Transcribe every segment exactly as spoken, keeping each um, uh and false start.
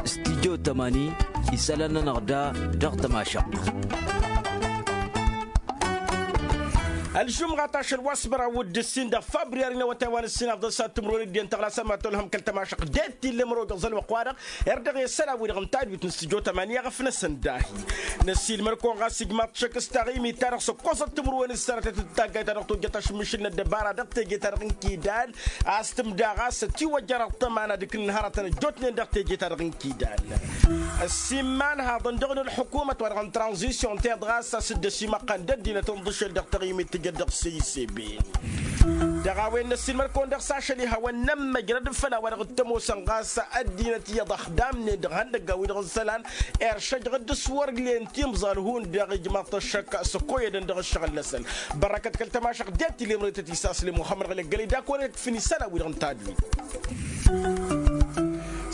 Stijjo tămani isălan-nănăɣ da dăɣ-tămašăɣt. Ălžumɣat ašăl wa s-măraw d-ǝssin dăɣ-fabriyari n-awătay wa n-ǝssin afḍăn s-ad-timǝrwen d-iyyăn tăɣlasăn ma tolhăm kăl-tămašăɣt det-t illa măraw dăɣ-zălwăqq-wa-dăɣ. Erdăɣ i-ăssălan-wi-dăɣ n-tadwit n-stijjo tămani i-aɣăf-năsăn dahi. Năssiilmăr-kăwăn ɣas ijmaḍ-t šăkk s-taɣimit-ta-dăɣ s-ăkkoẓăt timǝrwen s-sănatăt d-taggayt-ta-dăɣ tojjăt ašǝmmišǝl n-ăddăbara dăɣ-teje-ta-dăɣ n-kidal. A-s tǝmda ɣas ătiwăjjăr ăṭṭăma n-ad-ǝknǝn hărătăn ăjjootnen dăɣ-teje-ta-dăɣ n-kidal. Ăssiimman haḍăn dăɣ-nǝlḥǝkumăt wa dăɣ-n tranzisyon teḍ ɣas a-s dd-ăsimăqqan d-ăddinăt n-iḍǝšel dăɣ-taɣimit tǝjăt dăɣ-săy s-e b. Dăɣ-a-wen năssiilmăr-kăwăn dăɣ-s ašăl ihawăn n-ămmăjrăd făll-a-wa-dăɣ t-ămoosăn ɣas ăddinăt iyyăḍ ăxdamnen dăɣ-ihăndăggan-wi-dăɣ n-isălan. Iršăjăɣ-dd s-wăr len timẓal hundăɣ ijmaḍ-t ăššăk s-ăkkoyădăn dăɣ-ǝššăɣǝl-năsăn. Bărrăkăt kăl-tămašăɣt det-t ilemrăy tăt-isasle muxămmăd ɣălăggăl-i d-ak wăr-e-d fǝnni isălan-wi-dăɣ n-tadwit.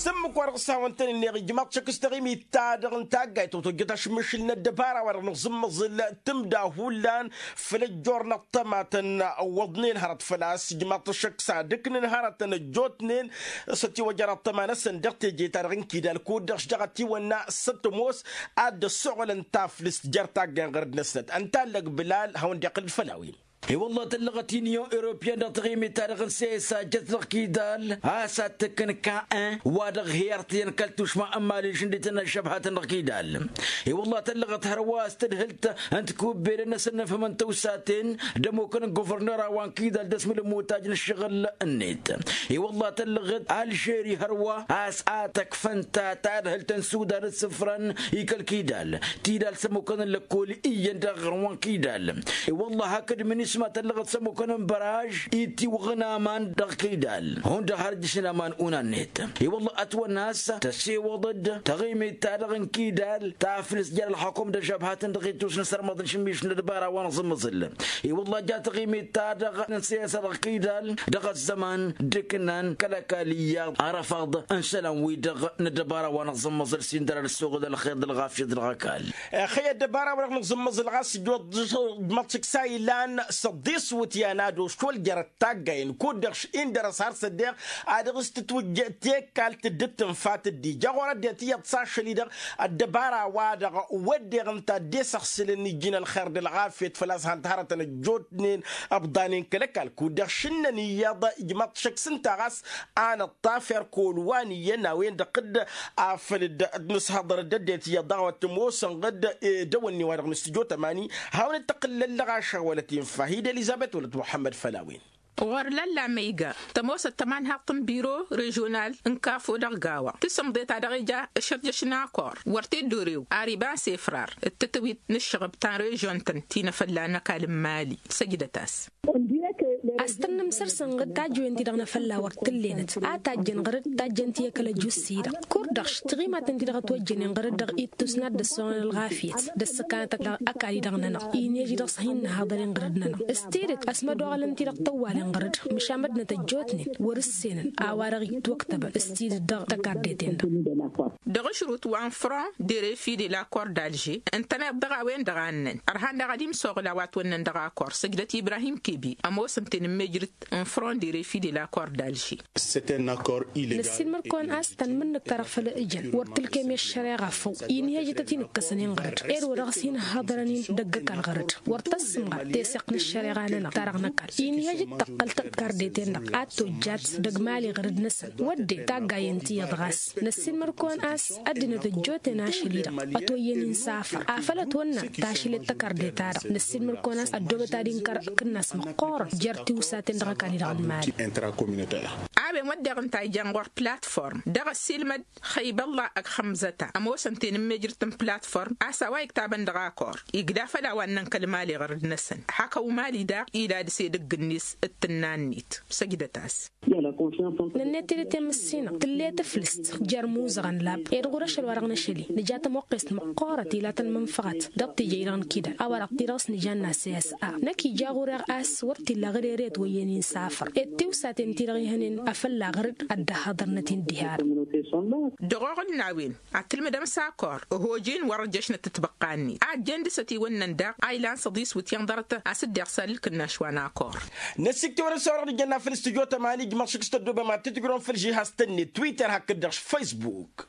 S-ǝmmǝk-wa-dăɣ s-hawăn-tăn-ǝnneɣ ijmaḍ-t šăkk s-taɣimit-ta-dăɣ n-taggayt tăwtojjăt ašǝmmišǝl n-ăddăbara-wa-dăɣ nǝẓǝmmăẓǝl tǝmda hullan făll-ăjjoornăt tămatăn. Iwwăḍnen hărăt făl-a-s ijmaḍ-t šăkk s-ad-ǝknǝn hărătăn ăjjootnen s-ătiwăjăr ăṭṭăma-năsăn dăɣ-teje-ta-dăɣ n-kidal kud-dăɣ šăɣ-ătiwănna s-ătmos ad-dd-ăssoɣălăn taflǝst jer-tagga n-iɣărăd-năsnăt ănta allăg bǝlal hawăn-dd-iqqǝl-dd făll-a-wen. I-wălla tăllăɣăt inyon europyan dăɣ-taɣimit-ta-dăɣ n-sesa jăt dăɣ-kidal a-s ad-tǝkkǝn ka-en wa dăɣ-hi-irtǝyăn kăl-tušma n-imali šǝndităn ăššăbhatăn dăɣ-kidal. I-wălla tăllăɣăt hărwa a-s tǝdhǝlt n-tikubbelăn-năsăn n-afhǝmăn tawsaten d-ămukăn n-guvărnăra wa n-kidal d-ăsmǝl n-imutaj n-ǝššăɣǝl-net. I-wălla tăllăɣăt alžeri hărwa a-s ad-tăkfăn ta tadhǝlt n-sudan d-sǝfran i-kăl-kidal tidal s-ămukăn n-lăkkol iyyăn dăɣ-aɣrǝm wa n-kidal. I-wălla hakd minisma tăllăɣăt s-ămukăn n-băraj itiwăɣ n-aman dăɣ-kidal hundăɣ har ǝjjǝšnen aman unan-net. I-wălla ătwănna a-s tăsewăḍ-dd taɣimit-ta-dăɣ n-kidal taflǝst jer-ălxukum d-ăžžăbhatăn dăɣ-ittus n-asărmăḍ n-išǝmmiš n-ăddăbara wa n-aẓǝmmăẓǝl. I-wălla ja taɣimit-ta-dăɣ n-siyasa dăɣ-kidal dăɣ-ăzzăman d-ǝknan kăl-ăkall iyyăḍ arăfaḍ n-isălan-wi-dăɣ n-ăddăbara wa n-aẓǝmmăẓǝl s-indăr ad-ăssoɣǝl ălxer d-ălɣafyăt dăɣ-ăkall. Ixăyy ăddăbara-wa-dăɣ nǝẓǝmmăẓǝl ɣas ǝjwăḍ d-măḍšǝk s-a ilan s-ăḍḍis iwǝtyan ad-ošwăl jer-ăttaggayen kud-dăɣ indăr-s har s-ăddeɣ a dăɣ-s tǝtwǝjj tekalt dd-tǝnfa tǝddija ɣur-ăddinăt iyyăḍ s-ašăl-i-dăɣ. Ăddăbara-wa-dăɣ wădden ǝnta ăddesăɣsǝlăn ijjǝn ălxer d-ălɣafyăt făl-a-s han-t hărătăn ăjjootnen ăbḍanen kăl-ăkall kud-dăɣ šǝnnăn iyyăḍ ijmaḍ-t šăkk s-ǝnta ɣas a nǝṭṭaf erk olwan iyyăn a-wen-dăɣ dd-afăl dd-nǝshăḍăr dd-ăddinăt iyyăḍ dăɣ-a-wa t-ămoosăn ɣǝd. D-ewănni wa dăɣ-nǝstǝjo tămani hawăn-dd-tăqqǝllăllăɣ ašăɣ wăla t-infa hi-dd elizăbet wăla t-muḥămmăd făll-a-wen. Ɣur-lălla ma iga tămoosăt tămanhaḍt n-biro režional n-kafo dăɣ-gawa tǝsǝmḍe ta dăɣ-ija ǝšărjăš n-akor wăr t-dd-orew ar iba n-sefrar d-tǝtwit n-ǝššăɣăb ta n-režion-tăn ti n-afălla n-ăkall n-mali. Săjdăt-as. A-s tănnăm săr-săn ɣǝd tajjăwen-ti-dăɣ n-afălla wăr t-ǝllenăt a tajjăn ɣăr-dd tajjăn-ti i-kăl-ăjus-i-dăɣ. Kurdăɣ š-tiɣimaten-ti-dăɣ ătwăjjănen ɣăr-dd dăɣ-ittus n-ad-dd-ăssoɣăn ălɣafyăt d-ăssăkanăt ăkall-i-dăɣ-nănăɣ. Inhăj dăɣ-s hin-nǝhaḍăren ɣăr-dd-nănăɣ s-tidǝt ăsmădoɣălăn-ti-dăɣ tăwwalen ɣăr-dd măšan măddinăt ăjjootnen wăr-ǝssenăn a-wa-dăɣ itwăktăbăn s-tidǝt dăɣ-tăkardet-en-dăɣ. Dăɣ-ašrut wa n-front de refi de la cor d'alger ǝntăneḍ dăɣ-a-wen-dăɣ a ǝnnăn ărhan daɣ ad-imsoɣǝl a-wa ătwănnăn dăɣ-akor săjdăt ibrahim kebi ămoosăn-ten n-mejrǝt n-front de refi de la cor d'alger. Năssiilmăr-kăwăn a-s tanmǝnnǝkt-ta-dăɣ făll-ǝjăn wăr tǝlkem i-ăššăreɣa făw. Inhăjăt a t-in-ǝkkăsăn inɣăr-dd ed wa dăɣ-s hin-hăḍărăn-in dăgg-ăkall ɣăr-dd wăr tăssǝmɣăr teseɣt n-ăššăreɣa-nănăɣ ta dăɣ-năkall. Inhăjăt tăqqăl tăkardet-en-dăɣ ad-tojjat dăgg-imali ɣăr-dd-năsăn wădden taggayen ti iyyăḍ ɣas. Năssiilmăr-kăwăn a-s ăddinăt ăjjootnen ašăl-i-dăɣ ătwăyyăn insafăr afăl ătwănna tašlet tăkardet-ta-dăɣ. Năssiilmăr-kăwăn a-s ăddoobăt ad-inkăr kǝnnas măqqoorăn jer-tiwsaten dăɣ-ăkall-i-dăɣ n-mali. A-wen wădden ǝnta a ijan ɣur-platform dăɣ-ăssiilmăd xăybălla ăgg xămzăta ămoosăn-ten n-mejrǝt n-platform a-s a-wa iktabăn dăɣ-akor igla făll-a-wa ǝnnăn kăl-mali ɣăr-dd-năsăn hak ăwmali daɣ ila dăɣ-s edăgg-net d-tǝnna-net. Săjdăt-as. Nănnet tidǝt i-măssinăɣ tǝllet ǝflǝst jer-imuzăɣăn lab ed ɣur-ašăl wa dăɣ-năšăli nǝja tămoqqest măqqoorăt ila tăn-mănfăɣăt dăɣ-tijăy-dăɣ n-kidal a-wa dăɣ-ti dăɣ-s nǝja n-asăy a-s a năkk ija ɣur-eɣ a-s wăr t-illa ɣăr ere ătwăyyăn insafăr ed tiwsaten-ti-dăɣ ihănen. fălla-ɣ rǝd ad-dd-ăhhăḍărnăt-in diha-dăɣ. Dăɣ-oɣǝl n-a-wen ad-tǝlmǝdăm s-akor ăhojin wăr-ăjjăšnăt tǝtbăqqa-net a ăjjeen dăɣ-s ătiwănnăn daɣ a ilan s-ăḍis wǝtyan ḍarăt a-s dd-iɣsal ǝlkǝnnaš wa n-akor. Năssiktăwăn-dd s-a-wa dăɣ-nǝjănna făll-studyo tămani ǝjmăḍ šik s-tăddobem ad-tǝjrǝwăm făll-žihaz-tăn-net twitter hakd-dăɣ s-facebook.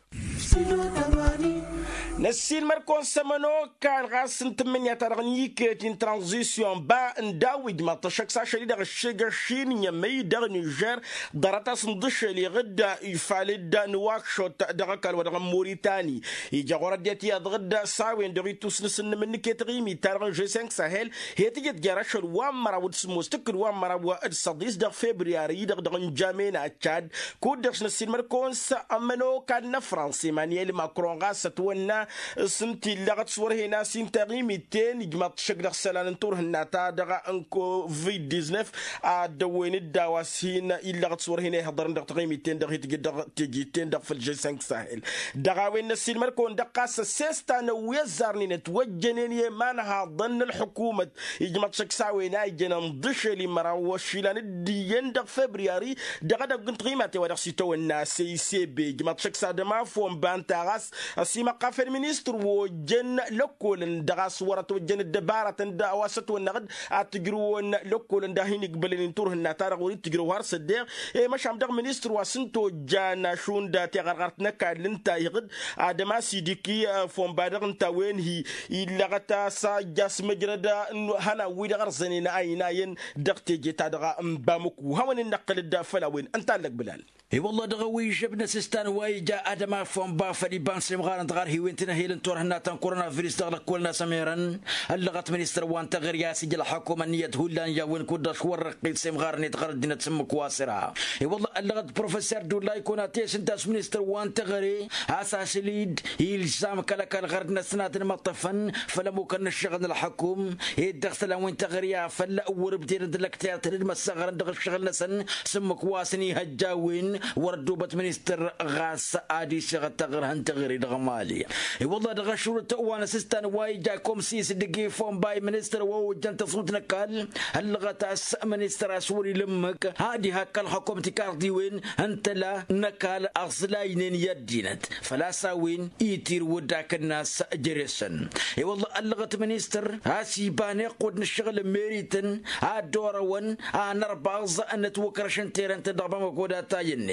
Năssiilmăd-kăwăn s-ămănokal ɣas n-tǝmmǝnǝya-ta-dăɣ n-iket-i n-tranzisyon ba n-daw-ijmaḍ-t ăššăk s-ašăl-i-dăɣ ăššegăšin n-emăy dăɣ-nižer. Ḍarăt-as n-iḍǝššel iɣǝdda ifalǝd n-wakšot dăɣ-ăkall wa dăɣ-n muritani. Ija ɣur-ăddinăt iyyăḍ ɣǝdda s-a-wen-dăɣ ittus n-asǝnnǝm n-iket ɣimit-ta-dăɣ n-žeseng sahel. He tǝjăt jer-ašăl wa n-măraw d-sǝmmos tǝkkǝd wa n-măraw d-săḍis dăɣ-febriyari-i-dăɣ dăɣ-n jame n-ačad. Kud-dăɣ s-năssiilmăd-kăwăn s-ămănokal n-afrans emanyel macron ɣas ătwănna s-ǝnta illăɣăt s-wăr hen a-s inta ɣimit-ten ijmaḍ-t šăkk dăɣ-isălan n-turhǝnna-ta-dăɣ n-covid-diznef. Ad-dăwwen-dd a-wa s-hin illăɣăt s-wăr hin-ihăḍărăn dăɣ-taɣimit-ten-dăɣ hi-tǝjǝd dăɣ-teje-ten-dăɣ făll-žeseng sahel. Dăɣ-a-wen năssiilmăd-kăwăn dăɣ-ɣas ăssesta n-ăwwezarnen ătwăjjănen i-imanhaḍăn n-ălḥukumăt ijmaḍ-t šăkk s-a-wen a ijăn ǝnḍǝšel i-măraw ăššilan d-iyyăn dăɣ-febriyari. Dăɣ-edăgg n-tiɣimaten wa dăɣ-s itawănna s-e-i s-e-be ijmaḍ-t šăkk s-ad-ămafon ba ǝnta ɣas ăsimăqqafen ministăr wa ojjăn lăkkolăn dăɣ-a-s wăr-ătwăjjăn ăddăbaratăn d-a-wa s-ătwănnăɣ-dd ad-t-ǝjrǝwăn lăkkolăn d-ad-hin-igbălăn i-turhǝnna-ta-dăɣ wăr-dd-tǝjrǝw har s-ăddeɣ. I-măšan dăɣ-ministăr wa s-ǝnta ojjan ašund tiɣărɣărt n-ăkall ǝnta iɣǝd ad-ămas idiki fon ba dăɣ-ǝnta a-wen-hi illăɣăt a-s ajja s-măjrăd n-ihănan-wi-dăɣ ărzănen a ăynayăn dăɣ-teje-ta-dăɣ n-bamǝku hawăn-in-năqqǝlăd făll-a-wen. Ǝnta a ǝllăg bǝlal. I-wălla dăɣ-ewăy ižžăb n-asǝstan wa ija ad-ămafon ba făll-iba n-semɣarăn dăɣ-arhiwen tinăhel n-turhǝnna ta n-koronavirus dăɣ-lăkkolăn a-s ămerăn. Ăllăɣăt ministăr wa n-teɣăre a-s ija ălxăkum ănniyăt hullan i-a-wen kud-dăɣ s-wăr-răqqit semɣarăn i-taɣăr ăddinăt s-ǝmmǝk wa s-ira. I-wălla ăllăɣăt professor dulla ikun a test ǝnta a-s ministăr wa n-teɣăre a-s asǝl-dd ilzam kăl-ăkall ɣărd-năsăn ad-ănmăṭṭăfăn făll-ămmukăn n-ǝššăɣǝl n-ălxăkum. Ed dăɣ-isălan wi n-teɣăre afăl wăr-ǝbdedăn d-lăktert d-măssăɣrăn dăɣ-ǝššăɣǝl-năsăn s-ǝmmǝk wa s-iniha ăjjaawen. Wăr-ăddoobăt ministăr ɣas ad-isăɣ ăttăɣrǝhăn teɣăre dăɣ-mali. I-wălla dăɣ-ašrut wa n-asǝstan wa ija komsis dăgg-ifon ba i-ministăr wa ojjăn tăṣut n-ăkall. Ăllăɣăt a-s ministăr a-s wăr-ila ǝmmǝk ad-ihakk ălxukum tikarḍiwen n-tăla n-ăkall ăẓlaynen i-ăddinăt. Făl-a-s a-wen itirǝw d-akǝnnas jere-săn. I-wălla ăllăɣăt ministăr a-s iba n-iqqud n-ǝššăɣǝl n-merităn ad-dd-orăwăn anărbaẓ n-ătwăkrăš n-terăn-tăn dăɣ-bamăko d-atay-net.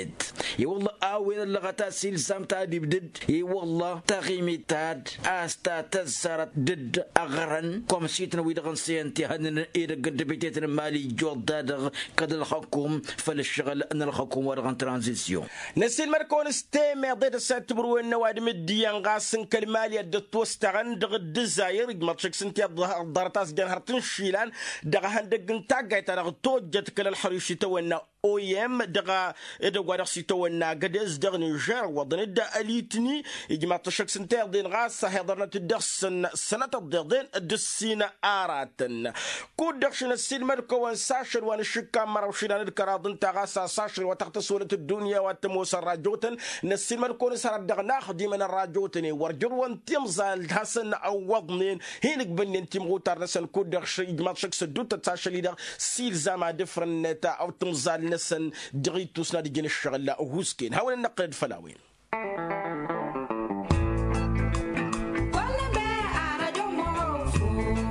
I-wălla a-wen ăllăɣăt a-s ilzam tadibdǝd. I-wălla taɣimit ta-dd a-s ta tăzzarăt dd-ăɣrăn kăwăm-sitnăw-i-dăɣ n-săyăn tihănnăn edăgg n-dăbitet n-mali ijjoḍ-da-dăɣ kăl-ălxăkum făll-ǝššăɣǝl n-ălxăkum wa dăɣ-n tranzisyon. Năsiilmăd-kăwăn s-temeḍe tăssadt timǝrwen n-ăwadǝm d-iyyăn ɣas n-kăl-mali a dd-ătwăstăɣăn dăɣ-dd-ǝzzayăr ijmăḍ šăkk s-ǝnta i-ăḍḍărăt a-s jăn hărăt n-išilan dăɣ-ehăndăgg n-taggayt-ta-dăɣ tojjăt kăl-ălxăriš itawănna. Oyem dăɣ-edăgg wa dăɣ-s itawănna agădez dăɣ-nižer ǝwwăḍăn-dd ălitni. Ijmaḍ-t ăššăk s-ǝnta iḍen ɣas a hi-iḍărnăt-dd dăɣ-săn sănătăt d-iḍen d-ǝssin aratăn. Kud-dăɣ šăn ăssiilmăd-kăwăn s-ašăl wa n-ašǝkka n-măraw išilan d-kăraḍ ǝnta ɣas a-s ašăl wa tăɣtăswălăt ăddunya wa t-ămoosăn rajotăn. Năssiilmăd-kăwăn s-hărăt dăɣ-inaxdimăn n-rajotăn i-wăr jărwăn timẓal d-hasăn-ăwwăḍnen hin-ǝgbǝlnen timɣutar-năsăn kud-dăɣ š-ijmaḍ šăkk s-ădduuttăt s-ašăl-i-dăɣ s-ilzam ad-ǝfrǝnnăt timẓal-năsăn dăɣ-ittus n-ad-ǝjǝn ǝššăɣǝl. Husken hawăn-ănnăqqǝlăd făll-a-wen.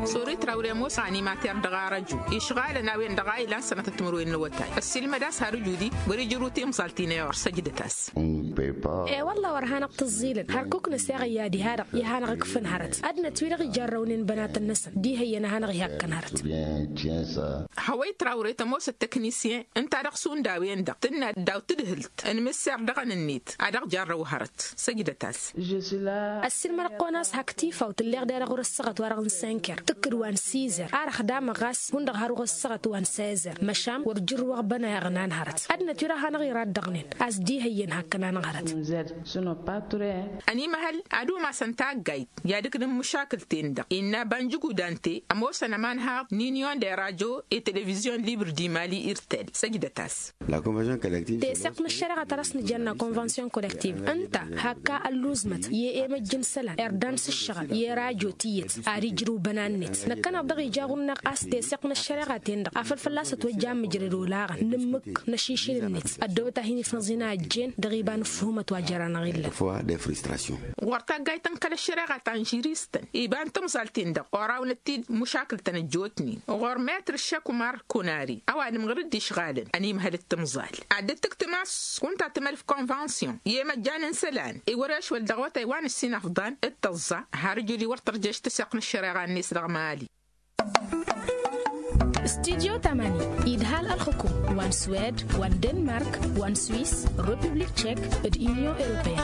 Sori trawre ămoos animater dăɣ-arăju išɣalăn a-wen-dăɣ a ilan sănatăt timǝrwen n-awătay ăssiilmăd-as har ǝjudi wăr-ijrǝw timẓalt-in i-or săjdăt-as. E-wălla wăr hanăɣ-tǝẓẓilăn hărkuk năseɣ i-ad-iha-dăɣ i-ad-hanăɣ-ǝkfǝn hărăt ăddinăt-wi-dăɣ ijărrăwnen bănatăn-năsăn diha iyyăn ad-hanăɣ-ihakkăn hărăt. Hăwăy trawre tămoosăt tăknisyen ǝnta dăɣ-šund a-wen-dăɣ tǝnna daw-tadhǝlt n-imǝsser dăɣ-enǝnnet ad-dăɣ-jarrăw hărăt. Săjdăt-as. Ăssiilmădăɣ-kăwăn a-s hak tifaw tǝlleɣ dera ɣur-ăssaɣăt wa dăɣ-n senker tǝkkǝd wa n-sizer ar ăxdamăɣ ɣas hundăɣ har ɣur-ăssaɣăt wa n-sezăr măšan wăr jǝrrǝwăɣ bănayăɣ n-an hărăt. Ăddinăt wi dăɣ-hanăɣ-iraddăɣnen a-s diha iyyăn hakkăn-anăɣ hărăt. Ănimăhăl ad-umasăn taggayt i-ad-ǝknǝn măšakǝl-ten-dăɣ innă banjǝgu dante ămoosăn ămanhaḍ n-inyon de rajo i-televizyon libr di mali irtel. Săjdăt-as. Teseɣt n-ăššăreɣa ta dăɣ-s nǝjănna konvansyon kolektiv ǝnta hakka ălluzmăt i-emăjj n-isălan irdan s-ǝššăɣǝl i-rajo tiyyăt ad-ijrǝw bănan-net. Năkk Ănăɣ-dăɣ ija ɣur-neɣ a-s teseɣt n-ăššăreɣa-ten-dăɣ afăl fălla-s ătwăjja amǝjrăd olaɣăn n-ǝmmǝk n-ašišǝl-net ăddoobăt a hin-ifnăẓ-in a ăjjeen dăɣ-iba n-ǝffuhǝm ătwajăra-năɣ illan. Ɣur-taggayt n-kăl-ăššăreɣa ta n-žiristăn iba n-tamẓalt-in-dăɣ orawnăt-dd mušakǝl-tăn ăjjootnen ɣur-metr šăkmar kunari ăwadǝm ɣǝr-dd išɣalăn ănimhăl d-tamẓalt ad-dd-tǝktǝm a-s kunta tǝmălf konvansyon i-imăjjan n-isălan i-wăr-ešwăl dăɣ-awătay wa n-ǝssin afḍăn d-tăẓẓa. Har ǝjǝd-i wăr tărjăš tǝseɣt n-ăššăreɣa-net dăɣ-mali. Studyo tamani idhal ălxukum wa n-swed wa n-denmark wa n-swis, republik tšek, d-inyon europeyăn.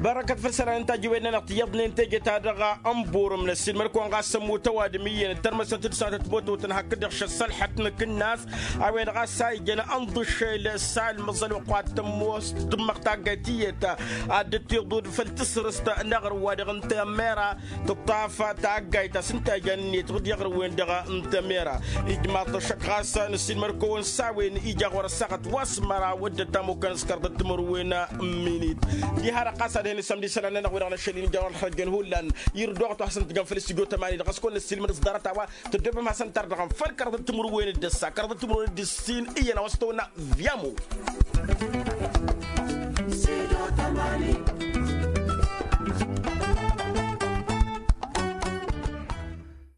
Bărăkăt făll-isălan n-tajǝwen-nănăɣ tiyyăḍnen teje-ta-dăɣ ănburǝm n-ăssiilmăd-kăwăn ɣas ămmut ăwadǝm iyyăn d-tărmăsăn-t d-santăt moto-tăn hakd-dăɣ šăssălḥăt n-akǝnnas. A-wen-dăɣ a-s a ijăn ănḍǝššel s-almăẓ ălwăqq wa t-tămmoos tǝmmăɣ taggayt tiyyăt ad-dd-tiḍud făll-tasrǝst n-aɣrǝm wa dăɣ-n tămmera tǝṭṭaf taggayt ta s-ǝnta ijan-net ɣǝd i-aɣrǝm-wen-dăɣ n-tămmera. Ijmaḍ-t ăššăk ɣas n-ăssiilmăd-kăwăn s-a-wen ija ɣur-ăssaɣăt wa s-măraw d-ătamukăn s-kărdăt timǝrwen. Minit diha-dăɣ ɣas ad-hin-isămd isălan-nănăɣ wi-dăɣ n-ašăl-in ija ɣur-ălxărăjjăn hullan. Irǝddoɣăt wa hasăn-tǝjăn făll-studyo tămani-dăɣ a-s kăwăn-năssiilmăd s-ḍarăt-a-wa tăddoobem hasăn-tărdăɣăm făll-kărdăt timǝrwen d-ăssa kărdăt timǝrwen d-ǝssin iyyăn a-wa s-tăwănna. Viamo.